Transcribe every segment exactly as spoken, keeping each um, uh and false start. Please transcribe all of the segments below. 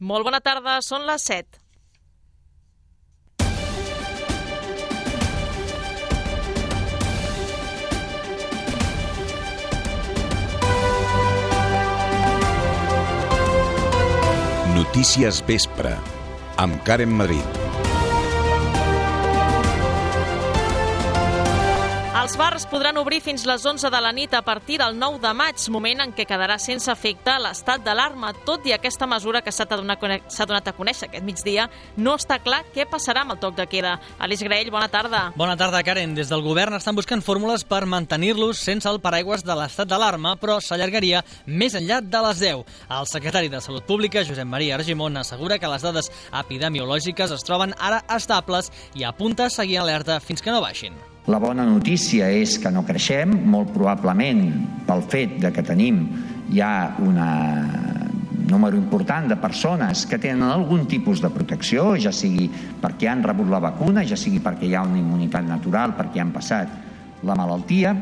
Molt bona tarda, són les set. Notícies Vespre, amb Karen Madrid. Els bars podran obrir fins les onze de la nit a partir del nou de maig, moment en què quedarà sense efecte l'estat d'alarma. Tot i aquesta mesura que s'ha donat a conèixer aquest migdia, no està clar què passarà amb el toc de queda. Aleix Graell, bona tarda. Bona tarda, Karen. Des del govern estan buscant fórmules per mantenir-los sense el paraigües de l'estat d'alarma, però s'allargaria més enllà de les deu. El secretari de Salut Pública, Josep Maria Argimon, assegura que les dades epidemiològiques es troben ara estables i apunta a seguir alerta fins que no baixin. La bona notícia és que no creixem, molt probablement pel fet de que tenim ja un número important de persones que tenen algun tipus de protecció, ja sigui perquè han rebut la vacuna, ja sigui perquè hi ha una immunitat natural, perquè han passat la malaltia.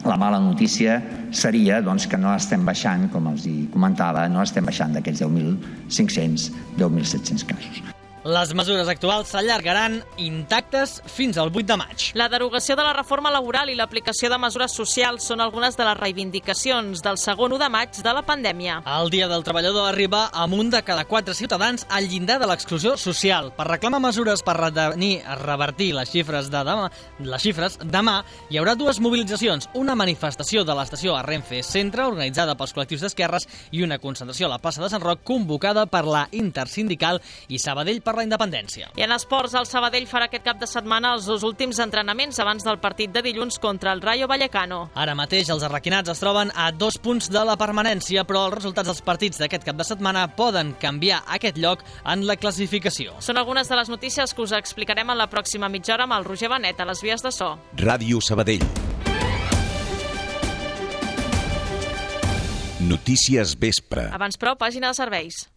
La mala notícia seria doncs, que no estem baixant, com els comentava, no estem baixant d'aquests deu mil cinc-cents, deu mil set-cents casos. Les mesures actuals s'allargaran intactes fins al vuit de maig. La derogació de la reforma laboral i l'aplicació de mesures socials són algunes de les reivindicacions del segon u de maig de la pandèmia. El Dia del Treballador arriba amb un de cada quatre ciutadans al llindar de l'exclusió social. Per reclamar mesures per retenir, revertir les xifres de demà, les xifres, demà hi haurà dues mobilitzacions, una manifestació de l'estació a Renfe Centre, organitzada pels col·lectius d'esquerres, i una concentració a la plaça de Sant Roc, convocada per la Intersindical i Sabadell per la independència. I en esports, el Sabadell farà aquest cap de setmana els dos últims entrenaments abans del partit de dilluns contra el Rayo Vallecano. Ara mateix els arraquinats es troben a dos punts de la permanència, però els resultats dels partits d'aquest cap de setmana poden canviar aquest lloc en la classificació. Són algunes de les notícies que us explicarem en la pròxima mitja hora amb el Roger Benet a les vies de so. Ràdio Sabadell. Notícies Vespre. Abans, però, pàgina de serveis.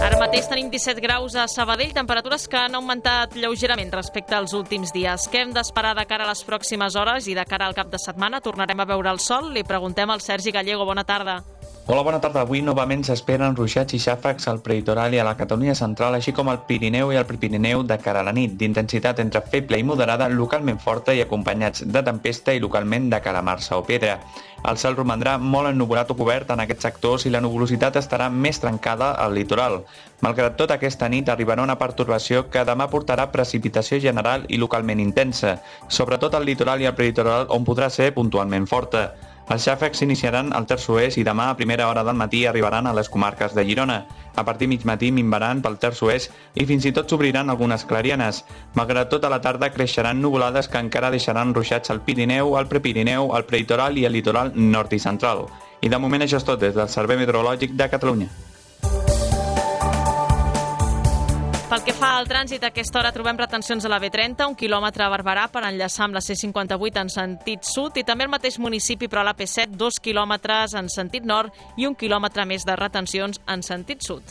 Ara mateix tenim disset graus a Sabadell, temperatures que han augmentat lleugerament respecte als últims dies. Què hem d'esperar de cara a les pròximes hores i de cara al cap de setmana? Tornarem a veure el sol? Li preguntem al Sergi Gallego. Bona tarda. Hola, bona tarda. Avui novament s'esperen ruixats i xàfecs al prelitoral i a la Catalunya central, així com al Pirineu i al Prepirineu de cara a la nit, d'intensitat entre feble i moderada, localment forta i acompanyats de tempesta i localment de calamarsa o pedra. El cel romandrà molt ennuvolat o cobert en aquests sectors i la nuvolositat estarà més trencada al litoral. Malgrat tot, aquesta nit arribarà una pertorbació que demà portarà precipitació general i localment intensa, sobretot al litoral i al prelitoral, on podrà ser puntualment forta. Els xàfecs s'iniciaran al terç oest i demà a primera hora del matí arribaran a les comarques de Girona. A partir mig matí minvaran pel terç oest i fins i tot s'obriran algunes clarianes. Malgrat tot, a la tarda creixeran nuvolades que encara deixaran ruixats al Pirineu, al Prepirineu, al prelitoral i al litoral nord i central. I de moment això és tot des del Servei Meteorològic de Catalunya. Pel que fa al trànsit, a aquesta hora trobem retencions a la B trenta, un quilòmetre a Barberà per enllaçar amb la C cinquanta-vuit en sentit sud i també al mateix municipi, però a la P set, dos quilòmetres en sentit nord i un quilòmetre més de retencions en sentit sud.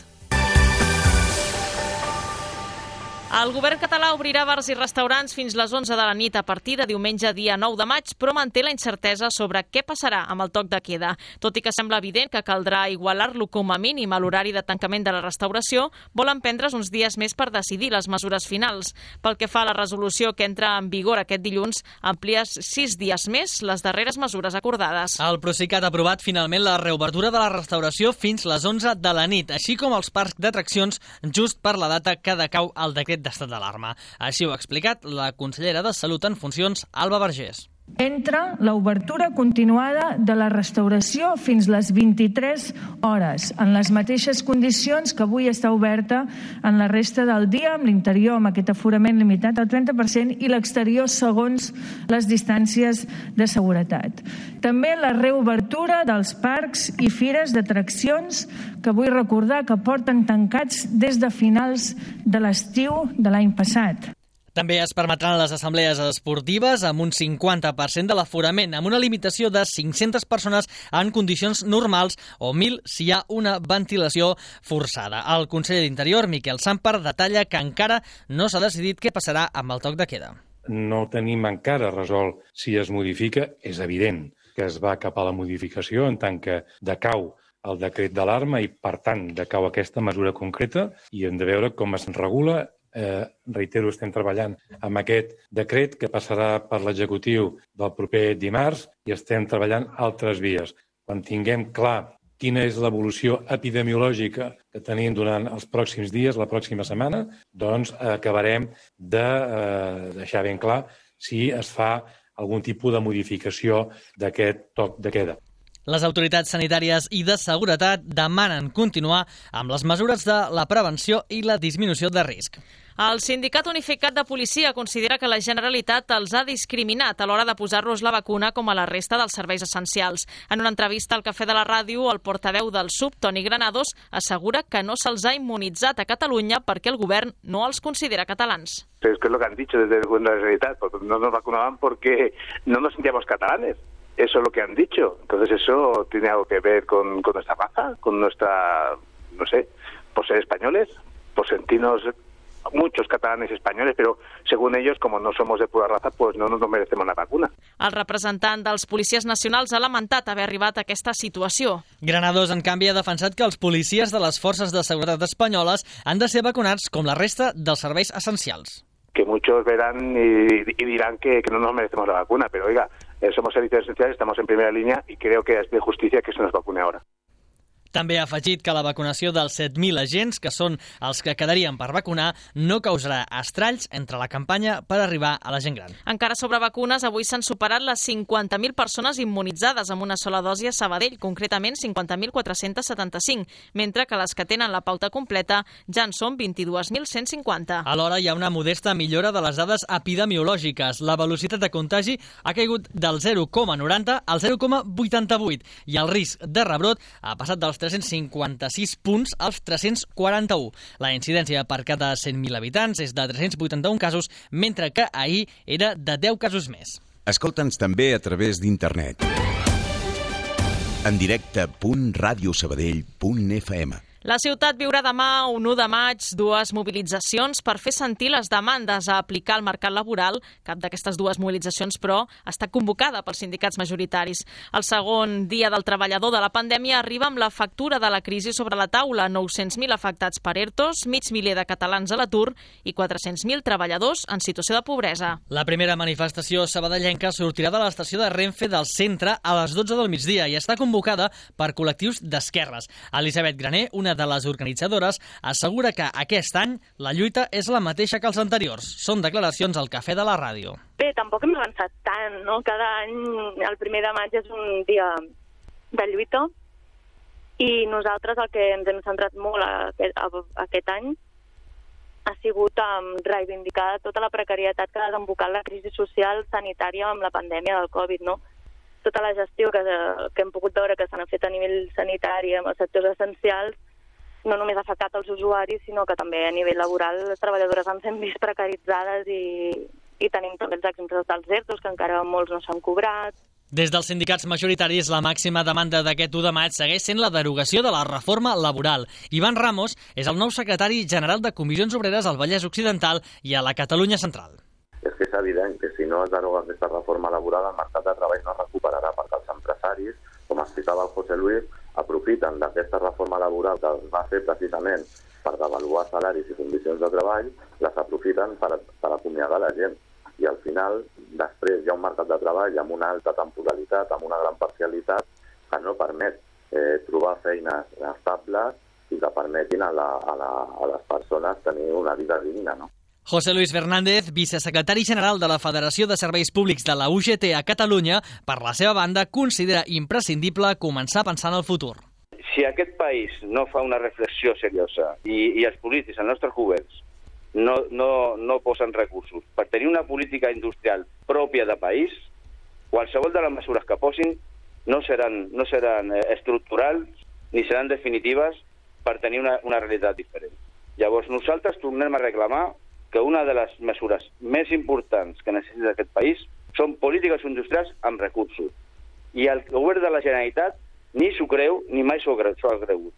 El govern català obrirà bars i restaurants fins les onze de la nit a partir de diumenge dia nou de maig, però manté la incertesa sobre què passarà amb el toc de queda. Tot i que sembla evident que caldrà igualar-lo com a mínim a l'horari de tancament de la restauració, volen prendre's uns dies més per decidir les mesures finals. Pel que fa a la resolució que entra en vigor aquest dilluns, amplia sis dies més les darreres mesures acordades. El Procicat ha aprovat finalment la reobertura de la restauració fins les onze de la nit, així com els parcs d'atraccions just per la data que decau el decret d'estat d'alarma. Així ho ha explicat la consellera de Salut en funcions, Alba Vergés. Entra l'obertura continuada de la restauració fins les vint-i-tres hores, en les mateixes condicions que avui està oberta en la resta del dia, amb l'interior amb aquest aforament limitat al trenta per cent i l'exterior segons les distàncies de seguretat. També la reobertura dels parcs i fires d'atraccions que vull recordar que porten tancats des de finals de l'estiu de l'any passat. També es permetran les assemblees esportives amb un cinquanta per cent de l'aforament, amb una limitació de cinc-centes persones en condicions normals o mil si hi ha una ventilació forçada. El conseller d'Interior, Miquel Sàmper, detalla que encara no s'ha decidit què passarà amb el toc de queda. No tenim encara resolt si es modifica, és evident. que es va cap a la modificació en tant que decau el decret d'alarma i, per tant, decau aquesta mesura concreta i hem de veure com es regula. Eh, reitero, estem treballant amb aquest decret que passarà per l'executiu del proper dimarts i estem treballant altres vies. Quan tinguem clar quina és l'evolució epidemiològica que tenim durant els pròxims dies, la pròxima setmana, doncs acabarem de eh, deixar ben clar si es fa algun tipus de modificació d'aquest toc de queda. Les autoritats sanitàries i de seguretat demanen continuar amb les mesures de la prevenció i la disminució de risc. El Sindicat Unificat de Policia considera que la Generalitat els ha discriminat a l'hora de posar-los la vacuna com a la resta dels serveis essencials. En una entrevista al Cafè de la Ràdio, el portaveu del S U B, Toni Granados, assegura que no se'ls ha immunitzat a Catalunya perquè el govern no els considera catalans. Es que es lo que han dicho desde el gobierno de la Generalitat, porque no nos vacunaban porque no nos sentíamos catalanes. Eso es lo que han dicho. Entonces eso tiene algo que ver con, con nuestra raza, con nuestra, no sé, por ser españoles, por sentirnos muchos catalanes españoles, pero según ellos, como no somos de pura raza, pues no nos merecemos la vacuna. El representant dels policies nacionals ha lamentat haver arribat a aquesta situació. Granados, en canvi, ha defensat que els policies de les forces de seguretat espanyoles han de ser vacunats com la resta dels serveis essencials. Que muchos verán y, y dirán que, que no nos merecemos la vacuna, pero oiga, eh, somos servicios esenciales, estamos en primera línea y creo que es de justicia que se nos vacune ahora. També ha afegit que la vacunació dels set mil agents, que són els que quedarien per vacunar, no causarà estralls entre la campanya per arribar a la gent gran. Encara sobre vacunes, avui s'han superat les cinquanta mil persones immunitzades amb una sola dosi a Sabadell, concretament cinquanta mil quatre-cents setanta-cinc, mentre que les que tenen la pauta completa ja en són vint-i-dos mil cent cinquanta. Alhora, hi ha una modesta millora de les dades epidemiològiques. La velocitat de contagi ha caigut del zero coma noranta al zero coma vuitanta-vuit i el risc de rebrot ha passat dels tres-cents cinquanta-sis punts als tres-cents quaranta-un. La incidència per cada cent mil habitants és de tres-cents vuitanta-un casos, mentre que ahir era de deu casos més. Escolta'ns també a través d'internet. En directe punt radio sabadell punt f m. La ciutat viurà demà, un u de maig, dues mobilitzacions per fer sentir les demandes a aplicar al mercat laboral. Cap d'aquestes dues mobilitzacions, però, està convocada pels sindicats majoritaris. El segon dia del treballador de la pandèmia arriba amb la factura de la crisi sobre la taula. nou-cents mil afectats per ERTOs, mig miler de catalans a l'atur i quatre-cents mil treballadors en situació de pobresa. La primera manifestació sabadellenca sortirà de l'estació de Renfe del centre a les dotze del migdia i està convocada per col·lectius d'esquerres. Elisabet Graner, una de les organitzadores, assegura que aquest any la lluita és la mateixa que els anteriors. Són declaracions al Cafè de la Ràdio. Bé, tampoc hem avançat tant, no? Cada any, el primer de maig és un dia de lluita i nosaltres el que ens hem centrat molt aquest, aquest any ha sigut um, reivindicar tota la precarietat que ha desembocat la crisi social sanitària amb la pandèmia del Covid, no? Tota la gestió que, que hem pogut veure que s'han fet a nivell sanitari amb els sectors essencials no només ha afectat els usuaris, sinó que també a nivell laboral les treballadores han sent vist precaritzades i, i tenim també els exemples dels ERTOs, que encara molts no s'han cobrat. Des dels sindicats majoritaris, la màxima demanda d'aquest u de maig segueix sent la derogació de la reforma laboral. Ivan Ramos és el nou secretari general de Comissions Obreres al Vallès Occidental i a la Catalunya Central. És que és evident que si no es deroga aquesta reforma laboral, el mercat de treball no es recuperarà, perquè els empresaris, com explicava el José Luis, aprofiten d'aquesta reforma laboral que es va fer precisament per devaluar salaris i condicions de treball, les aprofiten per, per acomiadar la gent. I al final, després hi ha un mercat de treball amb una alta temporalitat, amb una gran parcialitat, que no permet eh, trobar feines estables i que permetin a, la, a, la, a les persones tenir una vida digna, no? José Luis Fernández, vicesecretari general de la Federació de Serveis Públics de la U G T a Catalunya, per la seva banda, considera imprescindible començar a pensar en el futur. Si aquest país no fa una reflexió seriosa i, i els polítics, els nostres governs, no, no, no posen recursos per tenir una política industrial pròpia de país, qualsevol de les mesures que posin no seran, no seran estructurals ni seran definitives per tenir una, una realitat diferent. Llavors nosaltres tornem a reclamar que una de les mesures més importants que necessita aquest país són polítiques industrials amb recursos. I el govern de la Generalitat ni s'ho creu ni mai s'ho ha cregut.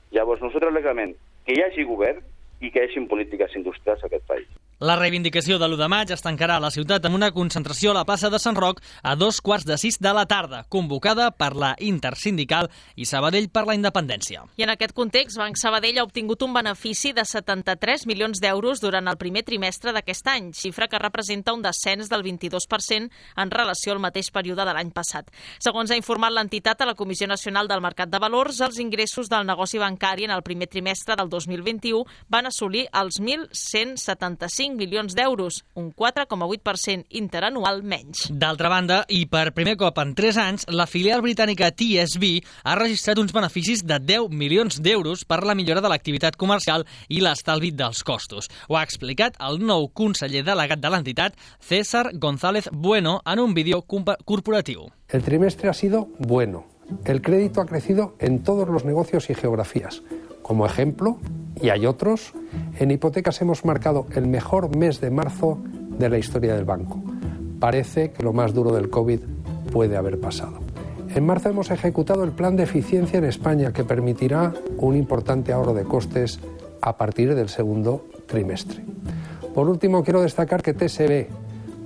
Llavors nosaltres reclamem que hi hagi govern i que hi hagi polítiques industrials a aquest país. La reivindicació de l'u de maig es tancarà a la ciutat amb una concentració a la plaça de Sant Roc a dos quarts de sis de la tarda, convocada per la Intersindical i Sabadell per la Independència. I en aquest context, Banc Sabadell ha obtingut un benefici de setanta-tres milions d'euros durant el primer trimestre d'aquest any, xifra que representa un descens del vint-i-dos per cent en relació al mateix període de l'any passat. Segons ha informat l'entitat a la Comissió Nacional del Mercat de Valors, els ingressos del negoci bancari en el primer trimestre del dos mil vint-i-u van assolir els mil cent setanta-cinc milions d'euros, un quatre coma vuit per cent interanual menys. D'altra banda, i per primer cop en tres anys, la filial britànica T S B ha registrat uns beneficis de deu milions d'euros per la millora de l'activitat comercial i l'estalvi dels costos. Ho ha explicat el nou conseller delegat de l'entitat, César González Bueno, en un vídeo corporatiu. El trimestre ha sido bueno. El crédito ha crecido en todos los negocios y geografías. Como ejemplo, y hay otros, en hipotecas hemos marcado el mejor mes de marzo de la historia del banco. Parece que lo más duro del COVID puede haber pasado. En marzo hemos ejecutado el plan de eficiencia en España que permitirá un importante ahorro de costes a partir del segundo trimestre. Por último, quiero destacar que T S B,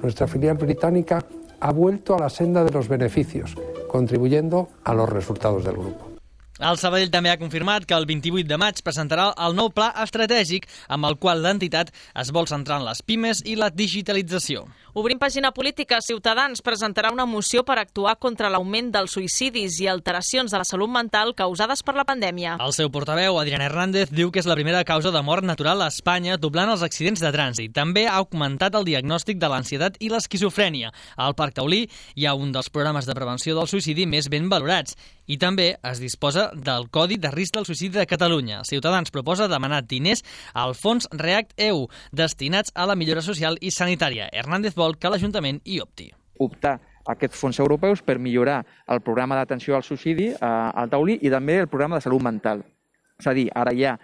nuestra filial británica, ha vuelto a la senda de los beneficios, contribuyendo a los resultados del grupo. El Sabadell també ha confirmat que el vint-i-vuit de maig presentarà el nou pla estratègic amb el qual l'entitat es vol centrar en les pimes i la digitalització. Obrim pàgina política, Ciutadans presentarà una moció per actuar contra l'augment dels suïcidis i alteracions de la salut mental causades per la pandèmia. El seu portaveu, Adrián Hernández, diu que és la primera causa de mort natural a Espanya, doblant els accidents de trànsit. També ha augmentat el diagnòstic de l'ansietat i l'esquizofrènia. Al Parc Taulí hi ha un dels programes de prevenció del suïcidi més ben valorats i també es disposa del Codi de Risc del Suïcidi de Catalunya. Ciutadans proposa demanar diners al fons REACT-E U, destinats a la millora social i sanitària. Hernández vol que l'Ajuntament hi opti. Optar a aquests fons europeus per millorar el programa d'atenció al suïcidi eh, al Taulí i també el programa de salut mental. És a dir, ara hi ha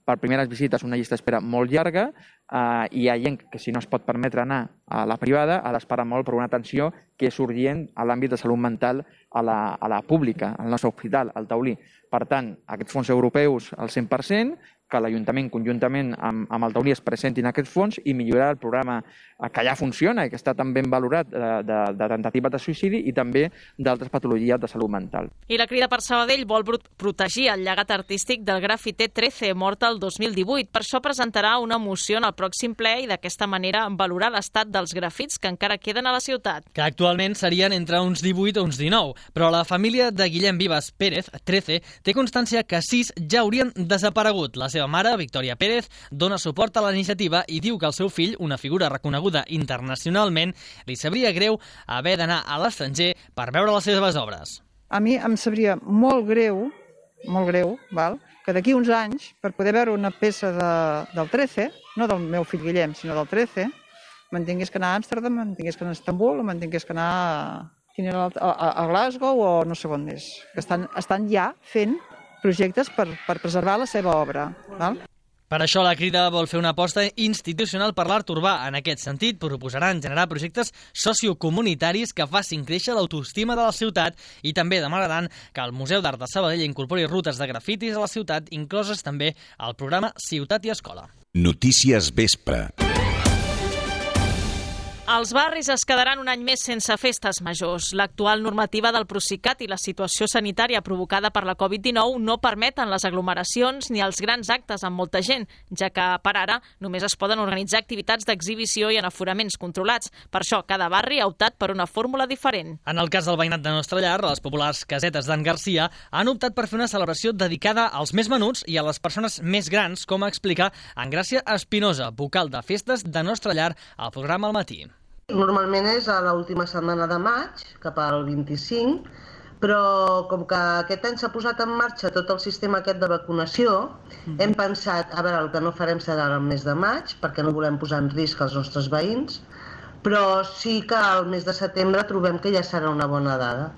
per primeres visites una llista d'espera molt llarga eh, i hi ha gent que si no es pot permetre anar a la privada ha d'esperar molt per una atenció que és urgent a l'àmbit de salut mental a la, a la pública, al nostre hospital, al Taulí. Per tant, aquests fons europeus al cent per cent, que l'Ajuntament conjuntament amb, amb el Taulí es presentin aquests fons i millorar el programa que ja funciona i que està tan ben valorat de, de, de tentativa de suïcidi i també d'altres patologies de salut mental. I la Crida per Sabadell vol protegir el llegat artístic del grafiter trece, mort el dos mil divuit. Per això presentarà una moció en el pròxim ple i d'aquesta manera valorar l'estat dels grafits que encara queden a la ciutat. Que actualment serien entre uns divuit o uns dinou, però la família de Guillem Vives Pérez, trece, té constància que sis ja haurien desaparegut. La seva mare, Victòria Pérez, dona suport a la iniciativa i diu que el seu fill, una figura reconeguda internacionalment, li sabria greu haver d'anar a l'estranger per veure les seves obres. A mi em sabria molt greu, molt greu, val? Que d'aquí uns anys, per poder veure una peça de, del trece, no del meu fill Guillem, sinó del trece, me'n tingués que anar a Amsterdam, me'n tingués que anar a Istanbul, o me'n tingués que anar a, a, a Glasgow o no sé on més. Que estan, estan ja fent projectes per, per preservar la seva obra. Val? Per això la Crida vol fer una aposta institucional per l'art urbà. En aquest sentit, proposaran generar projectes sociocomunitaris que facin créixer l'autoestima de la ciutat i també demanaran que el Museu d'Art de Sabadell incorpori rutes de grafitis a la ciutat, incloses també al programa Ciutat i Escola. Notícies Vespre. Els barris es quedaran un any més sense festes majors. L'actual normativa del Procicat i la situació sanitària provocada per la covid dinou no permeten les aglomeracions ni els grans actes amb molta gent, ja que, per ara, només es poden organitzar activitats d'exhibició i en aforaments controlats. Per això, cada barri ha optat per una fórmula diferent. En el cas del veïnat de Nostre Llar, les populars casetes d'en Garcia han optat per fer una celebració dedicada als més menuts i a les persones més grans, com explica Engràcia Espinosa, vocal de festes de Nostre Llar, al programa Al Matí. Normalment és a l'última setmana de maig, cap al vint-i-cinc, però com que aquest any s'ha posat en marxa tot el sistema aquest de vacunació, mm-hmm. hem pensat, a veure, el que no farem serà el mes de maig, perquè no volem posar en risc els nostres veïns, però sí que al mes de setembre trobem que ja serà una bona dada,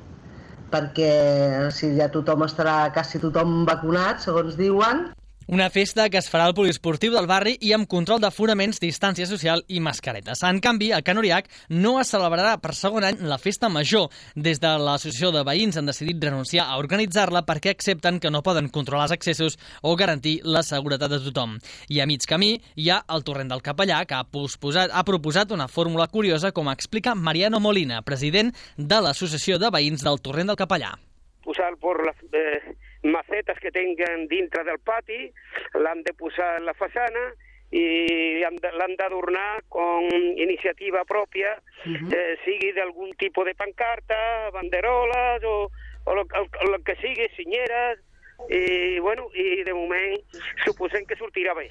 perquè si ja tothom estarà, quasi tothom vacunat, segons diuen. Una festa que es farà al poliesportiu del barri i amb control d'aforaments, distància social i mascaretes. En canvi, a Can Oriach no es celebrarà per segon any la festa major. Des de l'associació de veïns han decidit renunciar a organitzar-la perquè accepten que no poden controlar els accessos o garantir la seguretat de tothom. I a mig camí hi ha el Torrent del Capellà, que ha, posposat, ha proposat una fórmula curiosa, com explica Mariano Molina, president de l'associació de veïns del Torrent del Capellà. Posar por las eh, macetas que tengan dintre del pati, l'han de posar en la façana i l'han d'adornar con iniciativa pròpia, uh-huh. eh, sigui d'algun tipus de pancarta, banderoles o, o el, el, el que sigui, senyeres, i, bueno, i de moment suposem que sortirà bé.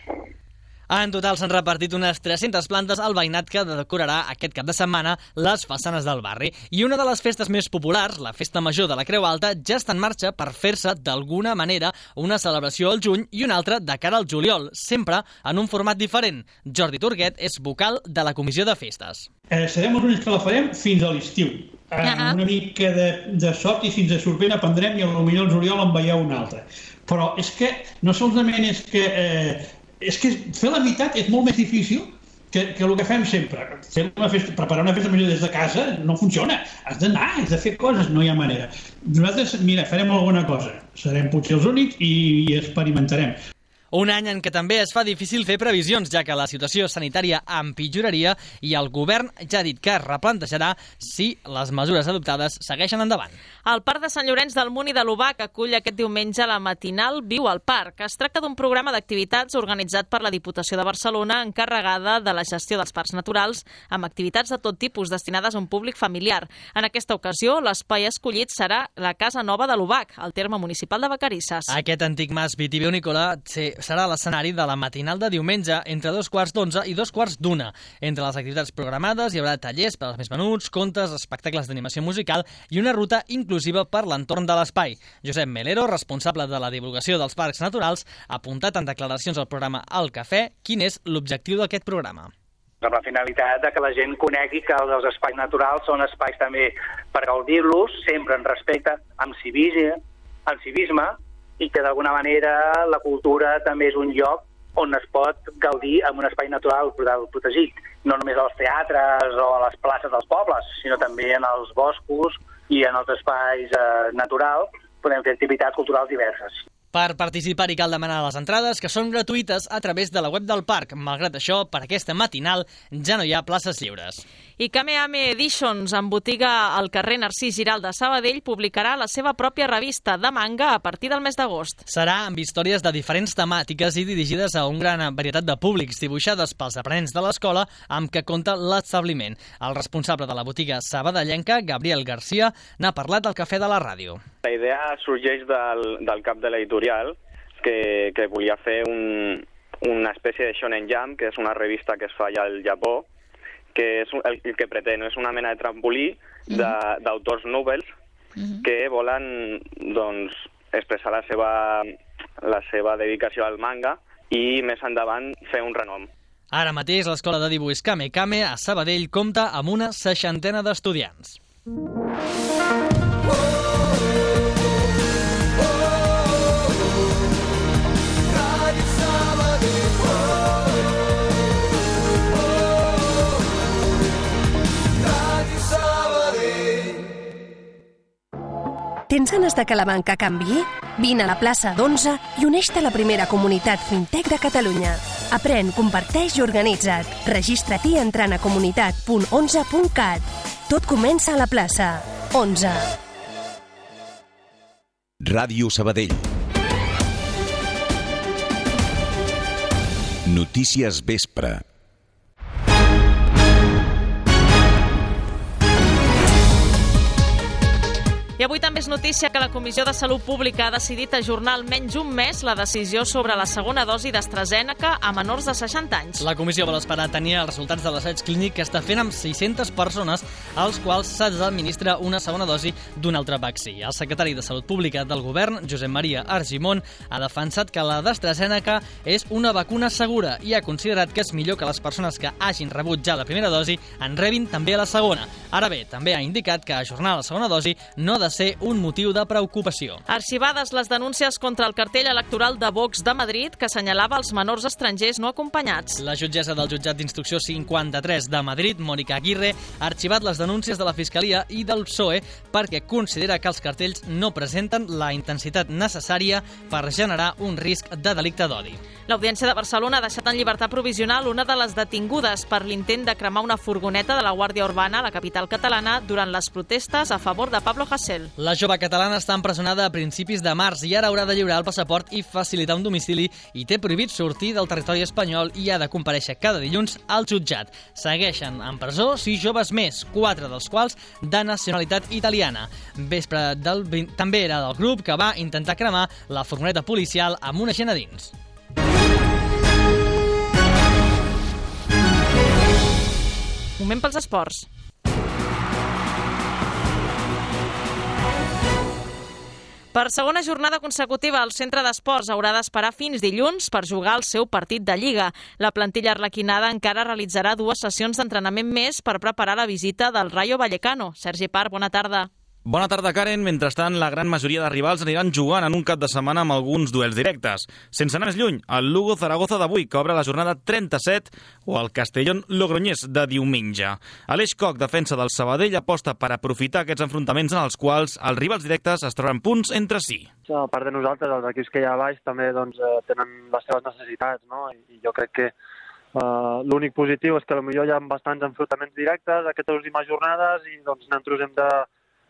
En total s'han repartit unes tres-centes plantes al veïnat que decorarà aquest cap de setmana les façanes del barri. I una de les festes més populars, la Festa Major de la Creu Alta, ja està en marxa per fer-se d'alguna manera una celebració al juny i una altra de cara al juliol, sempre en un format diferent. Jordi Turguet és vocal de la Comissió de Festes. Eh, serem els únics que la farem fins a l'estiu. Eh, uh-huh. Una mica de, de sort i fins a sorprèn aprendrem i potser al juliol en veieu una altra. Però és que no solament és que... Eh, és que fer la meitat és molt més difícil que, que el que fem sempre. Fer una festa, preparar una festa major des de casa no funciona. Has d'anar, has de fer coses, no hi ha manera. Nosaltres, mira, farem alguna cosa. Serem potser els únics i, i experimentarem. Un any en què també es fa difícil fer previsions, ja que la situació sanitària empitjoraria i el govern ja ha dit que es replantejarà si les mesures adoptades segueixen endavant. El Parc de Sant Llorenç del Munt i de l'Obac acull aquest diumenge la matinal Viu al Parc. Es tracta d'un programa d'activitats organitzat per la Diputació de Barcelona, encarregada de la gestió dels parcs naturals, amb activitats de tot tipus destinades a un públic familiar. En aquesta ocasió, l'espai escollit serà la Casa Nova de l'Obac, al terme municipal de Vacarisses. Aquest antic mas vitivinícola serà l'escenari de la matinal de diumenge entre dos quarts d'onze i dos quarts d'una. Entre les activitats programades hi haurà tallers per als més menuts, contes, espectacles d'animació musical i una ruta inclusiva per l'entorn de l'espai. Josep Melero, responsable de la divulgació dels parcs naturals, ha apuntat en declaracions al programa El Cafè quin és l'objectiu d'aquest programa. Amb la finalitat de que la gent conegui que els espais naturals són espais també per gaudir-los, sempre en respecte, amb civisme, amb civisme, i que d'alguna manera la cultura també és un lloc on es pot gaudir en un espai natural protegit, no només als teatres o a les places dels pobles, sinó també en els boscos i en els espais eh, naturals podem fer activitats culturals diverses. Per participar-hi cal demanar les entrades, que són gratuïtes a través de la web del parc. Malgrat això, per aquesta matinal ja no hi ha places lliures. I Kamehameha Editions, en botiga al carrer Narcís Giral de Sabadell, publicarà la seva pròpia revista de manga a partir del mes d'agost. Serà amb històries de diferents temàtiques i dirigides a una gran varietat de públics, dibuixades pels aprenents de l'escola amb què compta l'establiment. El responsable de la botiga sabadellenca, Gabriel Garcia, n'ha parlat al Cafè de la Ràdio. La idea sorgeix del, del cap de l'editorial, que, que volia fer un, una espècie de Shonen Jump, que és una revista que es fa allà al Japó, que és el, el que pretén, és una mena de trampolí d'autors nobles que volen doncs, expressar la seva, la seva dedicació al manga i més endavant fer un renom. Ara mateix l'Escola de Dibuix Kame Kame a Sabadell compta amb una seixantena d'estudiants. Tens ganes de que la banca canviï? Vine a la plaça d'Onze i uneix-te a la primera comunitat fintech de Catalunya. Aprèn, comparteix i organitza't. Registra-t'hi entrant a comunitat punt onze punt cat. Tot comença a la plaça. Onze. Ràdio Sabadell. Notícies Vespre. I avui també és notícia que la Comissió de Salut Pública ha decidit ajornar almenys un mes la decisió sobre la segona dosi d'AstraZeneca a menors de seixanta anys. La comissió vol esperar tenir els resultats de l'assaig clínic que està fent amb sis-centes persones als quals s'ha d'administrar una segona dosi d'un altre vaccí. El secretari de Salut Pública del Govern, Josep Maria Argimon, ha defensat que la d'AstraZeneca és una vacuna segura i ha considerat que és millor que les persones que hagin rebut ja la primera dosi en rebin també la segona. Ara bé, també ha indicat que ajornar la segona dosi no de ser un motiu de preocupació. Arxivades les denúncies contra el cartell electoral de Vox de Madrid que assenyalava els menors estrangers no acompanyats. La jutgessa del jutjat d'instrucció cinquanta-tres de Madrid, Mònica Aguirre, ha arxivat les denúncies de la Fiscalia i del P S O E perquè considera que els cartells no presenten la intensitat necessària per generar un risc de delicte d'odi. L'Audiència de Barcelona ha deixat en llibertat provisional una de les detingudes per l'intent de cremar una furgoneta de la Guàrdia Urbana a la capital catalana durant les protestes a favor de Pablo Hasél. La jove catalana està empresonada a principis de març i ara haurà de lliurar el passaport i facilitar un domicili i té prohibit sortir del territori espanyol i ha de comparèixer cada dilluns al jutjat. Segueixen en presó sis joves més, quatre dels quals de nacionalitat italiana. Vespre del... també era del grup que va intentar cremar la furgoneta policial amb una gent a dins. Moment pels esports. Per segona jornada consecutiva, el centre d'esports haurà d'esperar fins dilluns per jugar el seu partit de Lliga. La plantilla arlequinada encara realitzarà dues sessions d'entrenament més per preparar la visita del Rayo Vallecano. Sergi Parr, bona tarda. Bona tarda, Karen. Mentrestant, la gran majoria de rivals aniran jugant en un cap de setmana amb alguns duels directes. Sense anar més lluny, el Lugo-Zaragoza d'avui, que obre la jornada trenta-set, o el Castellón-Logroñés de diumenge. Aleix Koch, defensa del Sabadell, aposta per aprofitar aquests enfrontaments en els quals els rivals directes es troben punts entre si. A part de nosaltres, els equips que hi ha a baix també doncs, tenen les seves necessitats, no? I jo crec que Uh, l'únic positiu és que potser hi ha bastants enfrontaments directes aquestes últimes jornades i doncs, nosaltres hem de,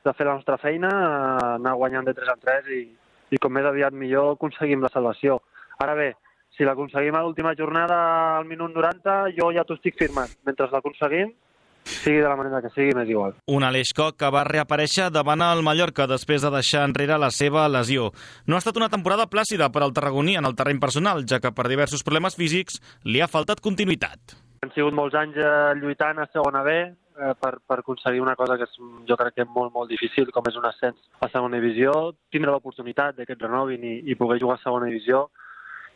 de fer la nostra feina, uh, anar guanyant de tres en tres i, i com més aviat millor aconseguim la salvació. Ara bé, si l'aconseguim a l'última jornada al minut noranta, jo ja t'ho estic firmant. Mentre l'aconseguim, sigui de la manera que sigui, m'és igual. Un Aleix Koch que va reaparèixer davant el Mallorca després de deixar enrere la seva lesió. No ha estat una temporada plàcida per al tarragoní en el terreny personal, ja que per diversos problemes físics li ha faltat continuïtat. Han sigut molts anys lluitant a segona B eh, per, per aconseguir una cosa que és, jo crec que és molt, molt difícil, com és un ascens a segona divisió, tindre l'oportunitat de que et renovin i, i poder jugar a segona divisió.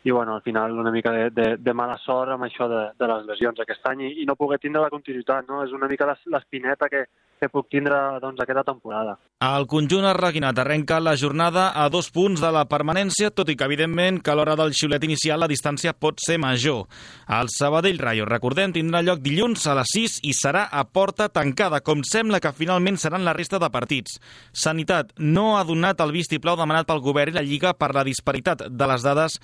I bueno, al final una mica de, de, de mala sort amb això de, de les lesions aquest any i, i no poder tindre la continuïtat, no? És una mica l'espineta que, que puc tindre doncs, aquesta temporada. El conjunt arlequinat arrenca la jornada a dos punts de la permanència, tot i que evidentment que a l'hora del xiulet inicial la distància pot ser major. El Sabadell Rayo, recordem, tindrà lloc dilluns a les sis i serà a porta tancada, com sembla que finalment seran la resta de partits. Sanitat no ha donat el vistiplau demanat pel govern i la Lliga per la disparitat de les dades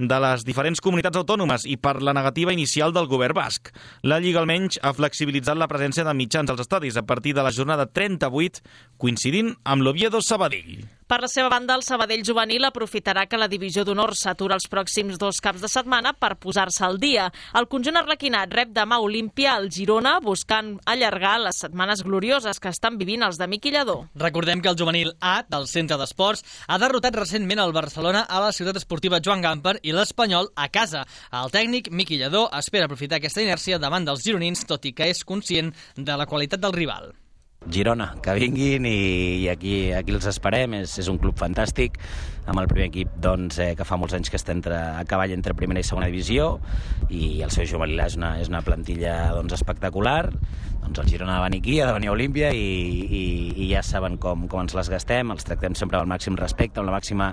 de les diferents comunitats autònomes i per la negativa inicial del govern basc. La Lliga almenys ha flexibilitzat la presència de mitjans als estadis a partir de la jornada trenta-vuit, coincidint amb l'Oviedo Sabadell. Per la seva banda, el Sabadell juvenil aprofitarà que la divisió d'honor s'atura els pròxims dos caps de setmana per posar-se al dia. El conjunt arlequinat rep demà Olímpia al Girona, buscant allargar les setmanes glorioses que estan vivint els de Miqui Lladó. Recordem que el juvenil A del Centre d'Esports ha derrotat recentment el Barcelona a la ciutat esportiva Joan Gamper i l'Espanyol a casa. El tècnic Miqui Lladó espera aprofitar aquesta inèrcia davant dels gironins, tot i que és conscient de la qualitat del rival. Girona, que vinguin i, i aquí, aquí els esperem, és, és un club fantàstic, amb el primer equip doncs, eh, que fa molts anys que està entre, a cavall entre primera i segona divisió i el seu juvenil és una, és una plantilla doncs, espectacular. Doncs el Girona ha de venir aquí, ha de venir a Olímpia i, i, i ja saben com, com ens les gastem, els tractem sempre amb el màxim respecte, amb la màxima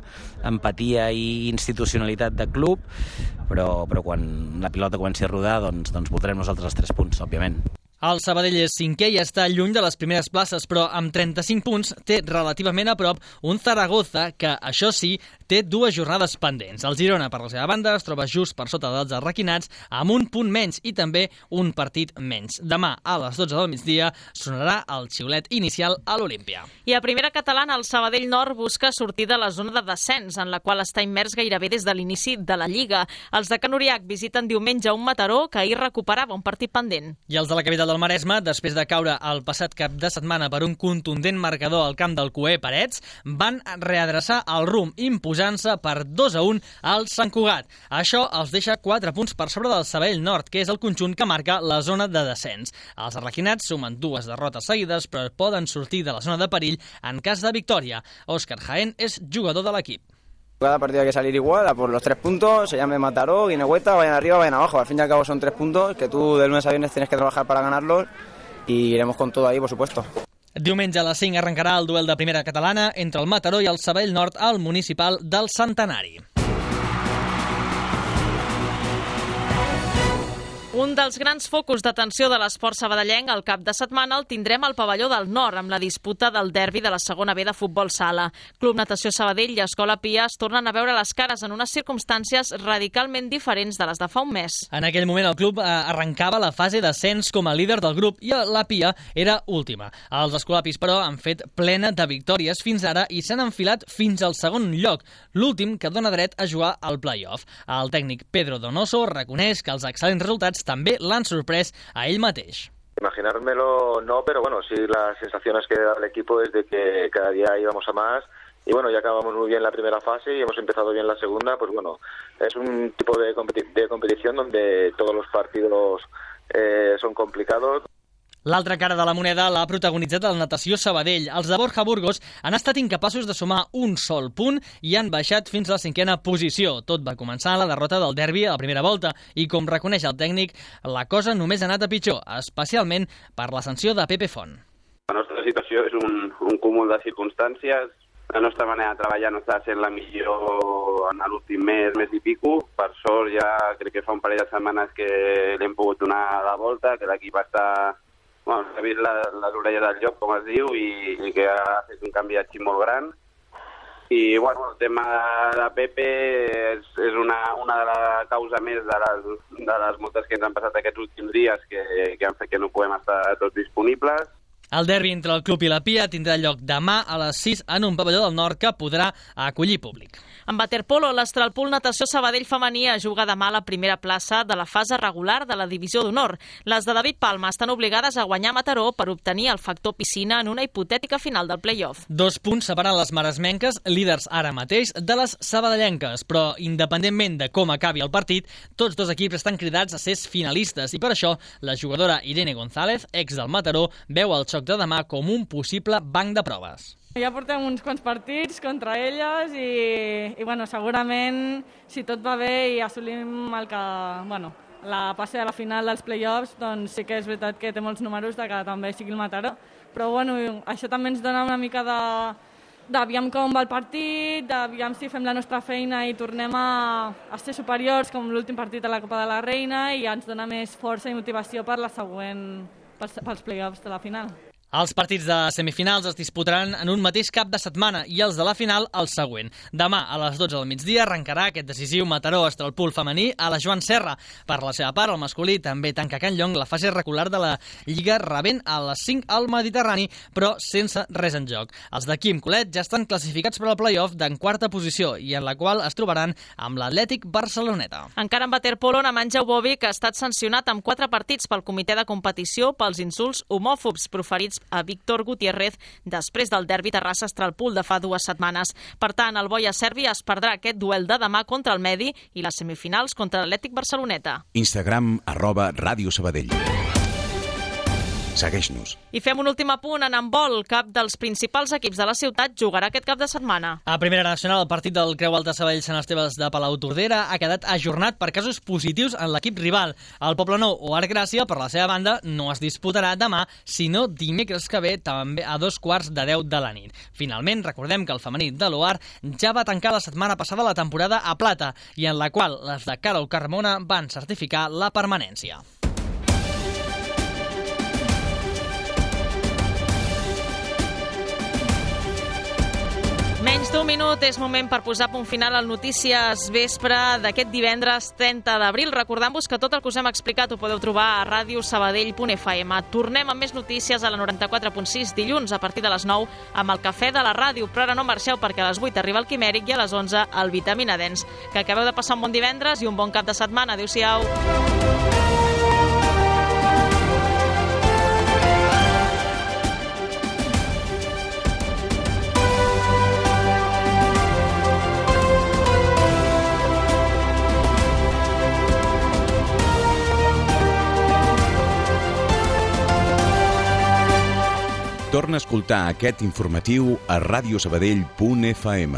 empatia i institucionalitat de club, però, però quan la pilota comenci a rodar doncs, doncs voldrem nosaltres els tres punts, òbviament. El Sabadell és cinquè i està lluny de les primeres places, però amb trenta-cinc punts té relativament a prop un Zaragoza que, això sí, té dues jornades pendents. El Girona, per la seva banda, es troba just per sota dels arlequinats amb un punt menys i també un partit menys. Demà, a les dotze del migdia, sonarà el xiulet inicial a l'Olímpia. I a primera catalana, el Sabadell Nord busca sortir de la zona de descens, en la qual està immers gairebé des de l'inici de la Lliga. Els de Can Uriach visiten diumenge un Mataró que ahir recuperava un partit pendent. I els de la capital del Maresme, després de caure el passat cap de setmana per un contundent marcador al camp del Cué Parets, van readreçar el rumb imposant-se per dos a un al Sant Cugat. Això els deixa quatre punts per sobre del Sabadell Nord, que és el conjunt que marca la zona de descens. Els arlequinats sumen dues derrotes seguides, però poden sortir de la zona de perill en cas de victòria. Òscar Jaén és jugador de l'equip. Cada partido hay que salir igual, a por los tres puntos, se llame Mataró, Guinehueta, vayan arriba, vayan abajo. Al fin y al cabo son tres puntos que tú de lunes a viernes tienes que trabajar para ganarlos y iremos con todo ahí, por supuesto. Diumenge a les cinc arrencarà el duel de primera catalana entre el Mataró i el Sabadell Nord al municipal del Centenari. Un dels grans focus d'atenció de l'esport sabadellenc al cap de setmana el tindrem al pavelló del Nord amb la disputa del derbi de la segona B de futbol sala. Club Natació Sabadell i Escola Pia es tornen a veure les cares en unes circumstàncies radicalment diferents de les de fa un mes. En aquell moment el club arrencava la fase d'ascens com a líder del grup i la Pia era última. Els escolapis, però, han fet plena de victòries fins ara i s'han enfilat fins al segon lloc, l'últim que dona dret a jugar al play-off. El tècnic Pedro Donoso reconeix que els excel·lents resultats també l'han sorprès a ell mateix. Imaginármelo no, pero bueno, sí, las sensaciones que da el equipo es de que cada día íbamos a más y bueno, ya acabamos muy bien la primera fase y hemos empezado bien la segunda, pues bueno, es un tipo de, competi- de competición donde todos los partidos eh, son complicados. L'altra cara de la moneda l'ha protagonitzat el Natació Sabadell. Els de Borja Burgos han estat incapaços de sumar un sol punt i han baixat fins a la cinquena posició. Tot va començar la derrota del derbi a la primera volta i, com reconeix el tècnic, la cosa només ha anat a pitjor, especialment per la sanció de Pepe Font. La nostra situació és un, un cúmul de circumstàncies. La nostra manera de treballar no està sent la millor en l'últim mes, mes i pico. Per sort, ja crec que fa un parell de setmanes que l'hem pogut donar la volta, que l'equip està... Bueno, s'ha vist la, les orelles del lloc, com es diu, i, i que ha fet un canvi de xip molt gran. I, bueno, el tema de Pepe és, és una, una de les causes més de les, de les moltes que ens han passat aquests últims dies que, que han fet que no puguem estar tots disponibles. El derbi entre el club i la Pia tindrà lloc demà a les sis en un pavelló del Nord que podrà acollir públic. En waterpolo, l'Astralpool Natació Sabadell femení juga demà a la primera plaça de la fase regular de la Divisió d'Honor. Les de David Palma estan obligades a guanyar Mataró per obtenir el factor piscina en una hipotètica final del play-off. Dos punts separen les maresmenques, líders ara mateix, de les sabadellenques, però independentment de com acabi el partit, tots dos equips estan cridats a ser finalistes i per això la jugadora Irene González, ex del Mataró, veu el xoc de demà com un possible banc de proves. Ja portem uns quants partits contra elles i, i bueno, segurament, si tot va bé i assolim el que, bueno, la passe a la final dels play-offs, doncs sí que és veritat que té molts números de que també sigui el Mataró. Però bueno, això també ens dona una mica de d'aviam com va el partit, d'aviam si fem la nostra feina i tornem a, a ser superiors com l'últim partit a la Copa de la Reina i ens dona més força i motivació per la següent, pels, pels play-offs de la final. Els partits de semifinals es disputaran en un mateix cap de setmana i els de la final el següent. Demà a les dotze del migdia arrencarà aquest decisiu Mataró-Astralpool femení a la Joan Serra. Per la seva part, el masculí també tanca Can Llong la fase regular de la Lliga rebent a les cinc al Mediterrani, però sense res en joc. Els de Quim Colet ja estan classificats per al play-off d'en quarta posició i en la qual es trobaran amb l'Atlètic Barceloneta. Encara en waterpolo, Nemanja Ubovic ha estat sancionat amb quatre partits pel comitè de competició pels insults homòfobs proferits a Víctor Gutiérrez després del derbi Terrassa-Astralpool de fa dues setmanes. Per tant, el Boia Servi es perdrà aquest duel de demà contra el Medi i les semifinals contra l'Atlètic Barceloneta. Instagram arroba Ràdio Sabadell. Segueix-nos. I fem un últim apunt en handbol. Cap dels principals equips de la ciutat jugarà aquest cap de setmana. A Primera Nacional, el partit del Creu Alta Sabadell Sant Esteves de Palau Tordera ha quedat ajornat per casos positius en l'equip rival. El Poblenou o Arc Gràcia, per la seva banda, no es disputarà demà, sinó dimecres que ve, també a dos quarts de deu de la nit. Finalment, recordem que el femení de l'O A R ja va tancar la setmana passada la temporada a plata i en la qual les de Carol Carmona van certificar la permanència. Menys d'un minut és moment per posar punt final al Notícies Vespre d'aquest divendres trenta d'abril. Recordant-vos que tot el que us hem explicat ho podeu trobar a ràdio sabadell punt f m. Tornem amb més notícies a la noranta-quatre punt sis dilluns a partir de les nou amb el Cafè de la Ràdio. Però ara no marxeu perquè a les vuit arriba el Quimèric i a les onze el Vitamina Dens. Que acabeu de passar un bon divendres i un bon cap de setmana. Adéu-siau. Torna a escoltar aquest informatiu a ràdio sabadell punt f m.